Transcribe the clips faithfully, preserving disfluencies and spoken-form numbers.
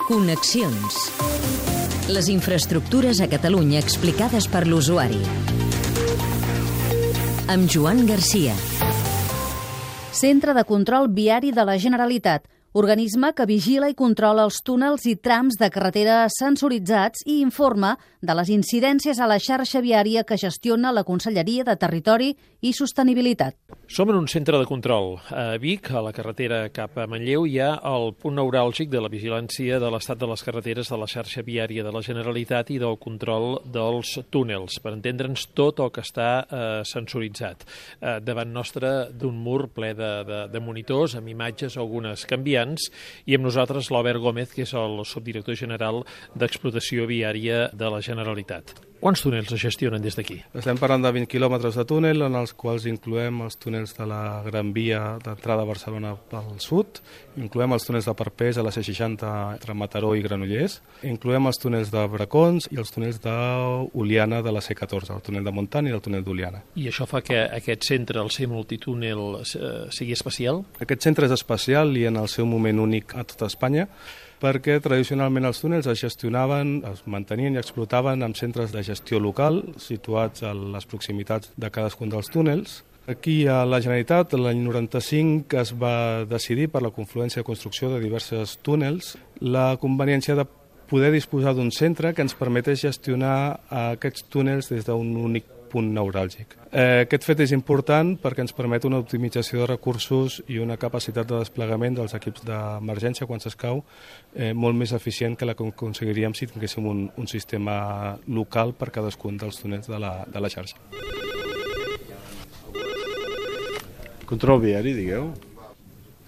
Connexions. Les infraestructures a Catalunya explicades per l'usuari. Amb Joan Garcia. Centre de Control Viari de la Generalitat, organisme que vigila i controla els túnels i trams de carretera sensoritzats i informa de les incidències a la xarxa viària que gestiona la Conselleria de Territori i Sostenibilitat. Som en un centre de control. A Vic, a la carretera cap a Manlleu, hi ha el punt neuràlgic de la vigilància de l'estat de les carreteres de la xarxa viària de la Generalitat i del control dels túnels, per entendre'ns tot el que està eh, sensoritzat. Eh, davant nostre d'un mur ple de, de, de monitors, amb imatges, algunes canviants, i amb nosaltres l'Albert Gómez, que és el subdirector general d'Explotació Viària de la Generalitat. Quants túnels es gestionen des d'aquí? Estem parlant de vint quilòmetres de túnel, en els quals incloem els túnels de la Gran Via d'entrada a Barcelona pel sud, incloem els túnels de Parpés a la C seixanta entre Mataró i Granollers, incloem els túnels de Bracons i els túnels d'Oliana de la C catorze, el túnel de Montant i el túnel d'Oliana. I això fa que aquest centre, el ser multitúnel, sigui especial? Aquest centre és especial i en el seu moment únic a tota Espanya, perquè tradicionalment els túnels es gestionaven, es mantenien i explotaven amb centres de gestió local situats a les proximitats de cadascun dels túnels. Aquí a la Generalitat, l'any noranta-cinc, es va decidir per la confluència de construcció de diversos túnels la conveniència de poder disposar d'un centre que ens permetés gestionar aquests túnels des d'un únic punt neuràlgic. Eh, aquest fet és important perquè ens permet una optimització de recursos i una capacitat de desplegament dels equips d'emergència quan s'escau eh, molt més eficient que la que aconseguiríem si tinguéssim un, un sistema local per cadascun dels túnels de la, de la xarxa. Control viari, digueu.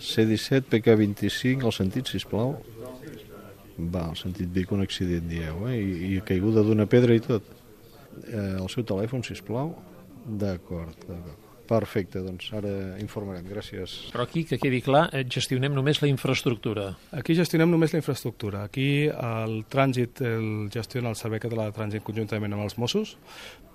C disset, P K vint-i-cinc, el sentit, sisplau. Va, el sentit Vic, un accident, dieu, eh? I, i caiguda d'una pedra i tot. Eh, el seu telèfon, sisplau. D'acord, d'acord. Perfecte, doncs ara informarem, gràcies. Però aquí, que quedi clar, gestionem només la infraestructura. Aquí gestionem només la infraestructura. Aquí el trànsit el gestiona el Servei Català de Trànsit conjuntament amb els Mossos,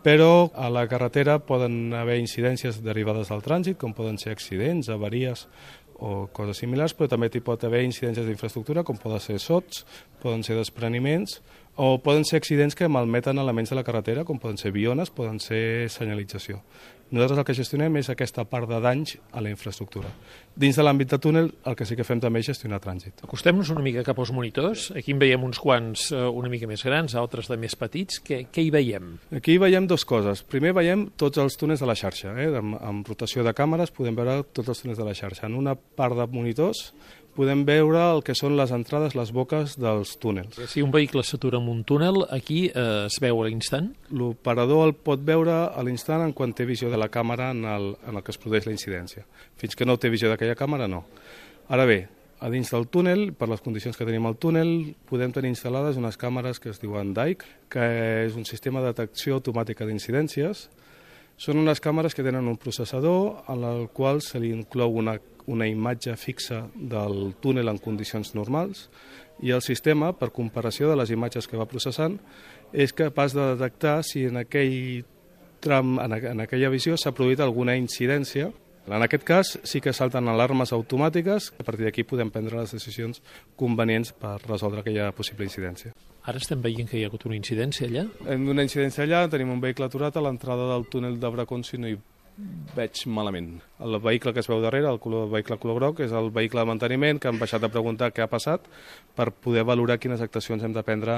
però a la carretera poden haver incidències derivades del trànsit, com poden ser accidents, avaries o coses similars, però també hi pot haver incidències d'infraestructura, com poden ser sots, poden ser despreniments, o poden ser accidents que malmeten elements de la carretera, com poden ser biones, poden ser senyalització. Nosaltres el que gestionem és aquesta part de danys a la infraestructura. Dins de l'àmbit de túnel, el que sí que fem també és gestionar trànsit. Acostem-nos una mica cap als monitors. Aquí en veiem uns quants una mica més grans, altres de més petits. Què, què hi veiem? Aquí veiem dues coses. Primer veiem tots els túnels de la xarxa. Eh? Amb, amb rotació de càmeres podem veure tots els túnels de la xarxa. En una part de monitors podem veure el que són les entrades, les boques dels túnels. Si un vehicle s'atura en un túnel, aquí eh, es veu a l'instant? L'operador el pot veure a l'instant en quan té visió de la càmera en el, en el que es produeix la incidència. Fins que no té visió d'aquella càmera, no. Ara bé, a dins del túnel, per les condicions que tenim al túnel, podem tenir instal·lades unes càmeres que es diuen D A I C, que és un sistema de detecció automàtica d'incidències. Són unes càmeres que tenen un processador en el qual se li inclou una una imatge fixa del túnel en condicions normals i el sistema, per comparació de les imatges que va processant, és capaç de detectar si en aquell tram, en aquella visió, s'ha produït alguna incidència. En aquest cas sí que salten alarmes automàtiques, a partir d'aquí podem prendre les decisions convenients per resoldre aquella possible incidència. Ara estem veient que hi ha hagut una incidència allà? Hem d'una incidència allà, tenim un vehicle aturat a l'entrada del túnel de Bracons, si no hi veig malament. El vehicle que es veu darrere, el color, el vehicle color groc, és el vehicle de manteniment, que han baixat a preguntar què ha passat per poder valorar quines actuacions hem de prendre.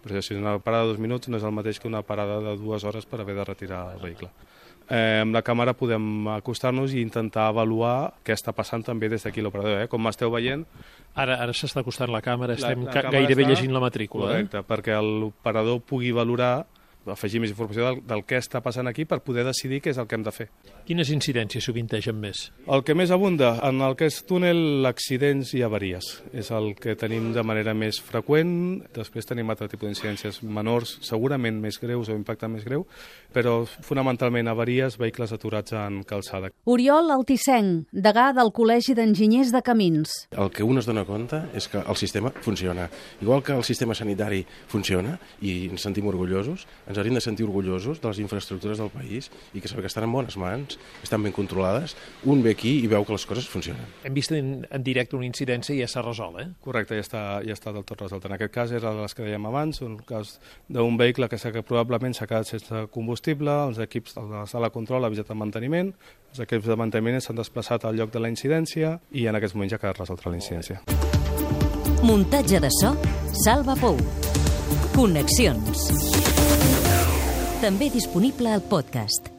Per si una parada de dos minuts no és el mateix que una parada de dues hores per haver de retirar el vehicle. Eh, amb la càmera podem acostar-nos i intentar avaluar què està passant també des d'aquí l'operador. Eh? Com m'esteu veient... Ara, ara s'està acostant la càmera, estem la, la càmera gairebé està... llegint la matrícula. Correcte, eh? Perquè l'operador pugui valorar, afegir més informació del, del que està passant aquí per poder decidir què és el que hem de fer. Quines incidències sovintegen més? El que més abunda en el que és túnel, accidents i avaries. És el que tenim de manera més freqüent. Després tenim altre tipus d'incidències menors, segurament més greus o impacte més greu, però fonamentalment avaries, vehicles aturats en calçada. Oriol Altissenc, degà del Col·legi d'Enginyers de Camins. El que un es dona compte és que el sistema funciona. Igual que el sistema sanitari funciona i ens sentim orgullosos, ens ens hauríem de sentir orgullosos de les infraestructures del país i que saber que estan en bones mans, estan ben controlades. Un ve aquí i veu que les coses funcionen. Hem vist en, en directe una incidència i ja s'ha resolt, eh? Correcte, ja està, ja està del tot resolt. En aquest cas era de les que dèiem abans, un cas d'un vehicle que, que probablement s'ha quedat sense combustible, els equips de la sala de control ha avisat el manteniment, els equips de manteniment s'han desplaçat al lloc de la incidència i en aquests moments ja ha quedat resolta la incidència. Muntatge de so, Salva Pou. Connexions. També disponible al podcast.